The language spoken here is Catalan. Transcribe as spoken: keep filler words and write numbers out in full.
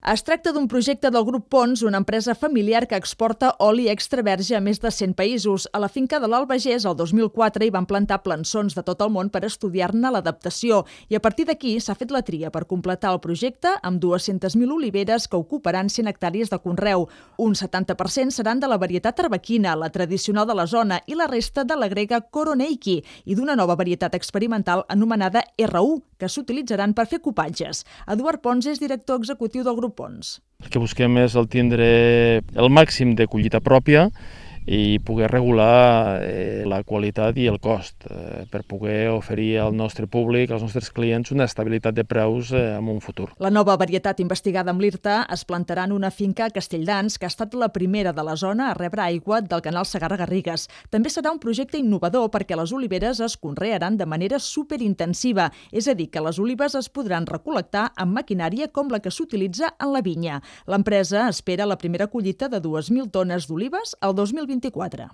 Es tracta d'un projecte del grup Pons, una empresa familiar que exporta oli extra verge a més de cent països. A la finca de l'Albagés, el dos mil quatre, hi van plantar plançons de tot el món per estudiar-ne l'adaptació i a partir d'aquí s'ha fet la tria per completar el projecte amb dues-centes mil oliveres que ocuparan cent hectàrees de conreu. Un setanta per cent seran de la varietat arbequina, la tradicional de la zona, i la resta de la grega Koroneiki i d'una nova varietat experimental anomenada erra u, que s'utilitzaran per fer cupatges. Eduard Pons és director executiu del grup Pons. El que busquem és el tindre el màxim de collita pròpia i poder regular eh, la qualitat i el cost eh, per poder oferir al nostre públic, als nostres clients, una estabilitat de preus eh, en un futur. La nova varietat investigada amb l'I R T A es plantarà en una finca a Castelldans, que ha estat la primera de la zona a rebre aigua del canal Segarra-Garrigues. També serà un projecte innovador perquè les oliveres es conrearan de manera superintensiva, és a dir, que les olives es podran recol·lectar amb maquinària com la que s'utilitza en la vinya. L'empresa espera la primera collita de dues mil tones d'olives al dos mil vint-i-quatre.